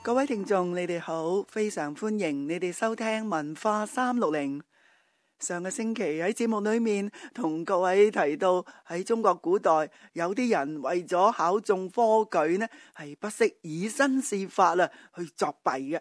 各位聽眾，你哋好，非常歡迎你哋收聽文化360。上個星期喺節目裏面同各位提到，喺中國古代有啲人為咗考中科舉呢，係不惜以身試法去作弊嘅。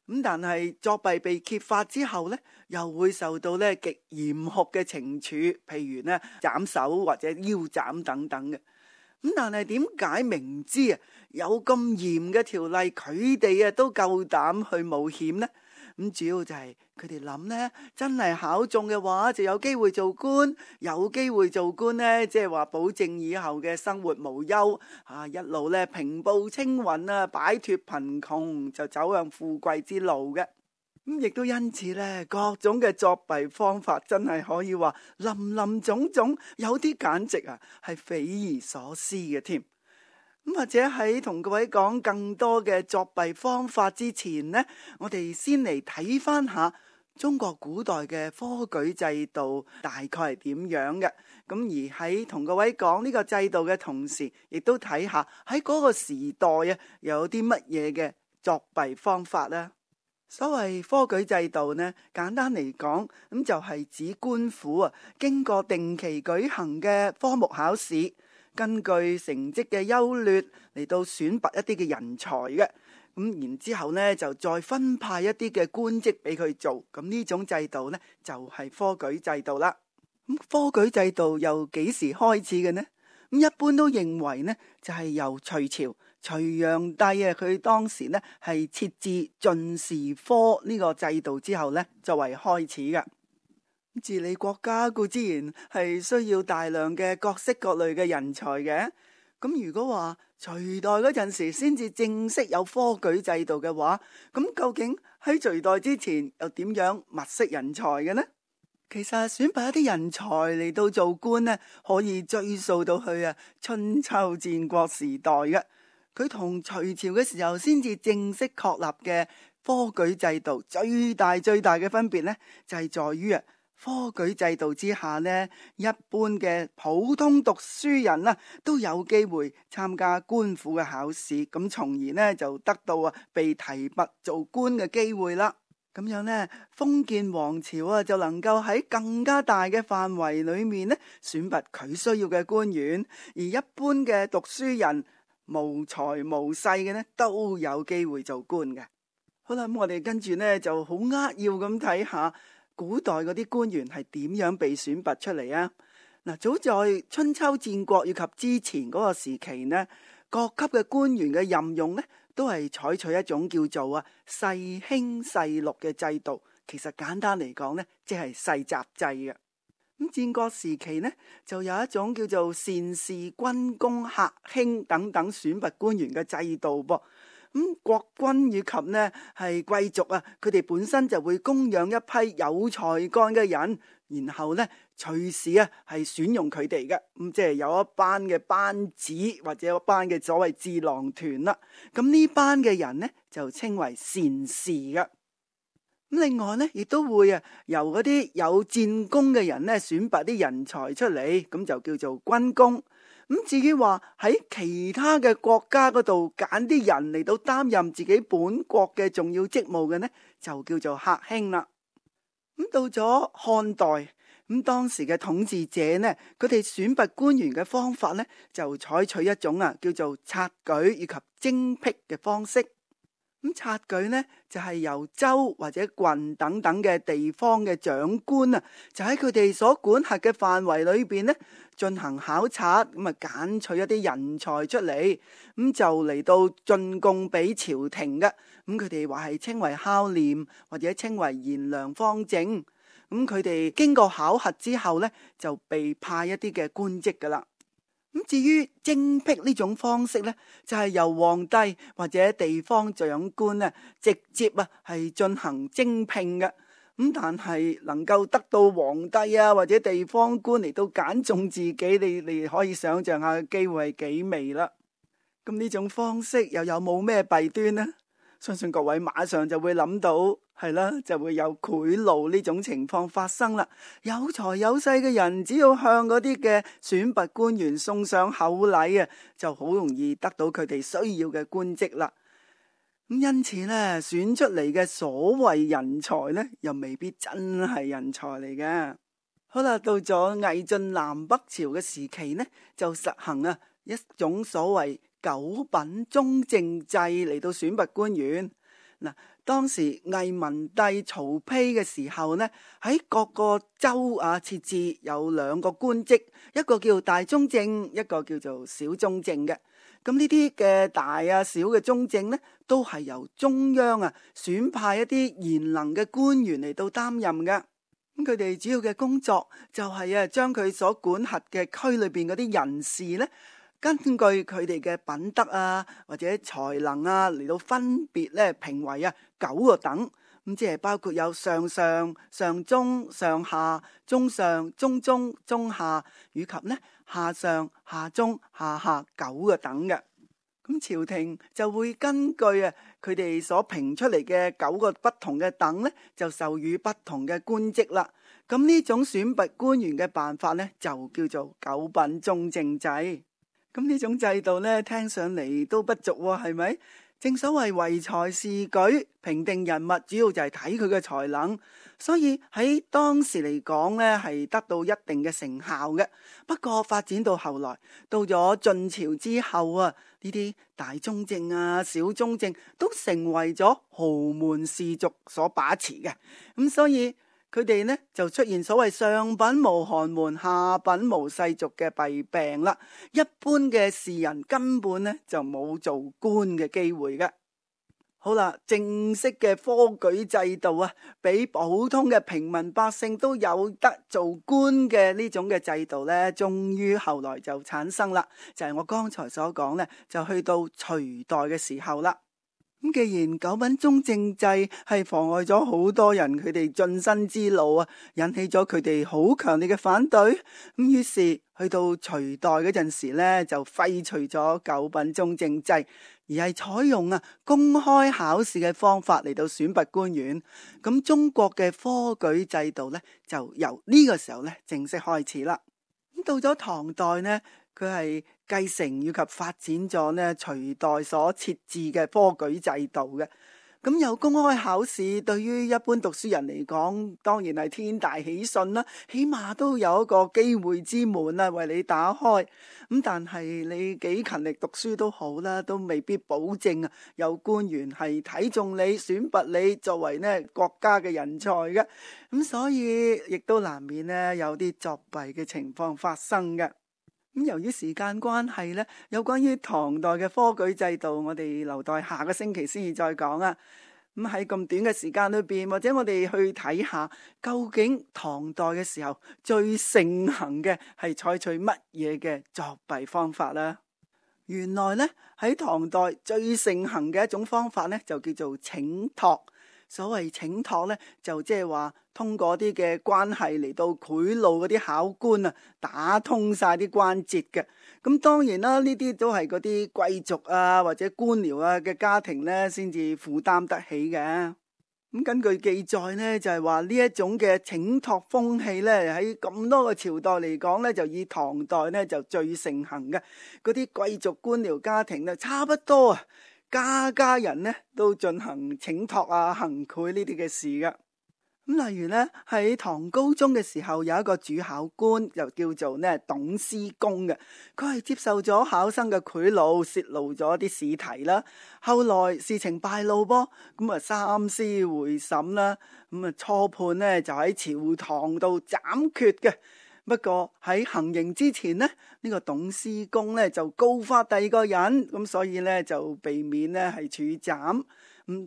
咁但係作弊被揭發之後呢，又會受到呢極嚴酷嘅懲處，譬如呢斬手或者腰斬等等嘅。咁但係點解明知有咁嚴嘅條例，佢哋都夠膽去冒險呢？咁主要就係佢哋諗呢，真係考中嘅話就有機會做官，有機會做官呢，即係話保證以後嘅生活無憂，一路呢平步青雲擺脫貧窮，就走向富貴之路嘅。咁亦都因此呢，各種嘅作弊方法真係可以話林林總總，有啲簡直係匪夷所思嘅添。咁或者喺同各位講更多嘅作弊方法之前呢，我哋先嚟睇翻下中國古代嘅科舉制度大概係點樣嘅。咁而喺同各位講呢個制度嘅同時，亦都睇下喺嗰個時代有啲乜嘢嘅作弊方法啦。所謂科舉制度呢，簡單嚟講，咁就係指官府經過定期舉行嘅科目考試，根據成績嘅優劣嚟到選拔一啲嘅人才嘅。咁然之後呢，就再分派一啲嘅官職俾佢做。咁呢種制度呢，就係科舉制度啦。咁科舉制度由幾時開始嘅呢？咁一般都認為呢，就係由隋朝隋煬帝佢當時呢係設置進士科呢個制度之後呢，作為開始嘅。治理國家固然係需要大量嘅各式各類嘅人才嘅。咁如果話隋代嗰陣時先至正式有科舉制度嘅話，咁究竟喺隋代之前又點樣物色人才嘅呢？其實選拔一啲人才嚟到做官呢，可以追溯到去春秋戰國時代嘅。佢同隋朝嘅時候先至正式確立嘅科舉制度最大嘅分別呢，就係在於科舉制度之下呢，一般嘅普通讀書人都有機會參加官府嘅考試，咁從而呢就得到被提拔做官嘅機會啦。咁樣呢，封建王朝就能夠喺更加大嘅範圍裏面呢選拔佢需要嘅官員，而一般嘅讀書人無才無勢嘅呢都有機會做官嘅。好啦，咁我哋跟住呢就好扼要咁睇下古代嗰啲官員係點樣被選拔出嚟啊。嗱，早在春秋戰國以及之前嗰個時期呢，各級嘅官員嘅任用呢都係採取一種叫做世卿世祿嘅制度。其實簡單嚟講呢，即係世襲制嘅。咁戰國時期呢，就有一種叫做善士、軍功、客卿等等選拔官員嘅制度噃。咁國君以及呢係貴族佢哋本身就會供養一批有才幹嘅人，然後呢隨時係選用佢哋嘅。咁即係有一班嘅班子或者一班嘅所謂智囊團啦。咁呢班嘅人呢就稱為善士嘅。咁另外呢，亦都會由嗰啲有戰功嘅人呢選拔啲人才出嚟，咁就叫做軍功。咁至於話喺其他嘅國家嗰度揀啲人嚟到擔任自己本國嘅重要職務嘅呢，就叫做客卿啦。咁到咗漢代，咁當時嘅統治者呢，佢哋選拔官員嘅方法呢，就採取一種叫做察舉以及徵辟嘅方式。咁察舉呢，就係由州或者郡等等嘅地方嘅長官就喺佢哋所管轄嘅範圍裏邊呢進行考察，咁揀取一啲人才出嚟，咁就嚟到進貢俾朝廷嘅。咁佢哋話係稱為孝廉或者稱為賢良方正。咁佢哋經過考核之後呢，就被派一啲嘅官職噶啦。咁至於徵辟呢種方式呢，就係由皇帝或者地方長官直接係進行徵聘嘅。咁但係能夠得到皇帝或者地方官嚟到揀中自己，你可以想象下機會係幾微啦。咁呢種方式又有冇咩弊端呢？相信各位馬上就會諗到，係啦，就會有賄賂呢種情況發生啦。有財有勢嘅人只要向嗰啲嘅選拔官員送上厚禮就好容易得到佢哋需要嘅官職啦。因此咧，選出嚟嘅所謂人才咧，又未必真係人才嚟嘅。好啦，到咗魏晉南北朝嘅時期呢，就實行一種所謂九品中正制嚟到選拔官員。嗱，當時魏文帝曹丕嘅時候呢，喺各個州設置有兩個官職，一個叫大中正，一個叫做小中正嘅。咁呢啲嘅大小嘅中正呢，都係由中央選派一啲賢能嘅官員嚟到擔任嘅。咁佢哋主要嘅工作就係將佢所管轄嘅區裏邊嗰啲人士呢，根據佢哋嘅品德或者才能嚟到分別咧評為9個等，咁即係包括有上上、上中、上下、中上、中中、中下，以及呢下上、下中、下下9個等嘅。咁朝廷就會根據佢哋所評出嚟嘅9個不同嘅等呢，就授予不同嘅官職啦。咁呢種選拔官員嘅辦法呢，就叫做九品中正制。咁呢種制度呢，聽上嚟都不俗喎，係咪？正所謂唯才是舉，評定人物主要就係睇佢嘅才能，所以喺當時嚟講呢，係得到一定嘅成效嘅。不過發展到後來，到咗晉朝之後呢啲大中正小中正都成為咗豪門士族所把持嘅。咁所以佢哋呢就出現所謂上品無寒門，下品無世俗嘅弊病啦。一般嘅士人根本呢就冇做官嘅機會嘅。好啦，正式嘅科舉制度俾普通嘅平民百姓都有得做官嘅呢種嘅制度呢，終於後來就產生啦。就係我剛才所講呢，就去到隋代嘅時候啦。咁既然九品中正制係妨礙咗好多人佢哋晉身之路引起咗佢哋好強烈嘅反對，咁於是去到隋代嗰陣時呢，就廢除咗九品中正制，而係採用公開考試嘅方法嚟到選拔官員。咁中國嘅科舉制度呢，就由呢個時候呢正式開始啦。咁到咗唐代呢，佢係繼承以及發展咗呢隋代所設置嘅科舉制度嘅。咁有公開考試，對於一般讀書人嚟講，當然係天大喜訊啦。起碼都有一個機會之門為你打開。咁但係你幾勤力讀書都好啦，都未必保證有官員係睇中你，選拔你作為呢國家嘅人才嘅。咁所以亦都難免呢有啲作弊嘅情況發生嘅。咁由於時間關係呢，有關於唐代嘅科舉制度，我哋留待下個星期先至再講啊。咁喺咁短嘅時間裏邊，或者我哋去睇下究竟唐代嘅時候最盛行嘅係採取乜嘢嘅作弊方法啦。原來呢，喺唐代最盛行嘅一種方法呢，就叫做請託。所謂請託呢，就即係話通過啲嘅關係嚟到賄賂嗰啲考官打通晒啲關節嘅。咁當然啦，呢啲都係嗰啲貴族或者官僚嘅家庭呢先至負擔得起嘅。咁根據記載呢，就係話呢一種嘅請託風氣呢，喺咁多個朝代嚟講呢，就以唐代呢就最盛行嘅。嗰啲貴族官僚家庭呢，差不多家人呢都進行請託行賄呢啲嘅事噶。咁例如呢，喺唐高宗嘅時候，有一個主考官就叫做呢董司公嘅，佢係接受咗考生嘅賄賂，泄露咗啲試題啦。後來事情敗露噃，咁三思會審啦，咁初判呢就喺朝堂度斬決嘅。不過喺行刑之前呢，呢個董司公呢就告發第二個人，咁所以呢就避免呢係處斬。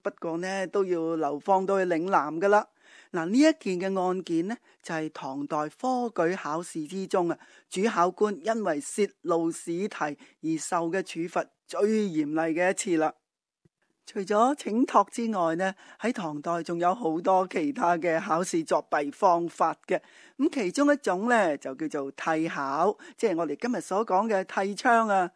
不過呢都要流放到去嶺南噶啦。嗱，呢一件嘅案件呢，就係唐代科舉考試之中主考官因為泄露試題而受嘅處罰最嚴厲嘅一次啦。除咗請託之外呢，喺唐代仲有好多其他嘅考試作弊方法嘅。咁其中一種呢，就叫做替考，即係我哋今日所講嘅替槍啊。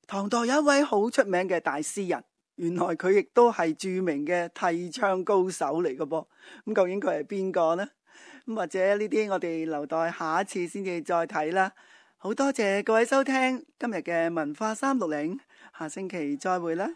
唐代有一位好出名嘅大詩人，原來佢亦都係著名嘅替槍高手嚟嘅噃。咁究竟佢係邊個呢？咁或者呢啲我哋留待下一次先至再睇啦。好多謝各位收聽今日嘅文化360，下星期再會啦。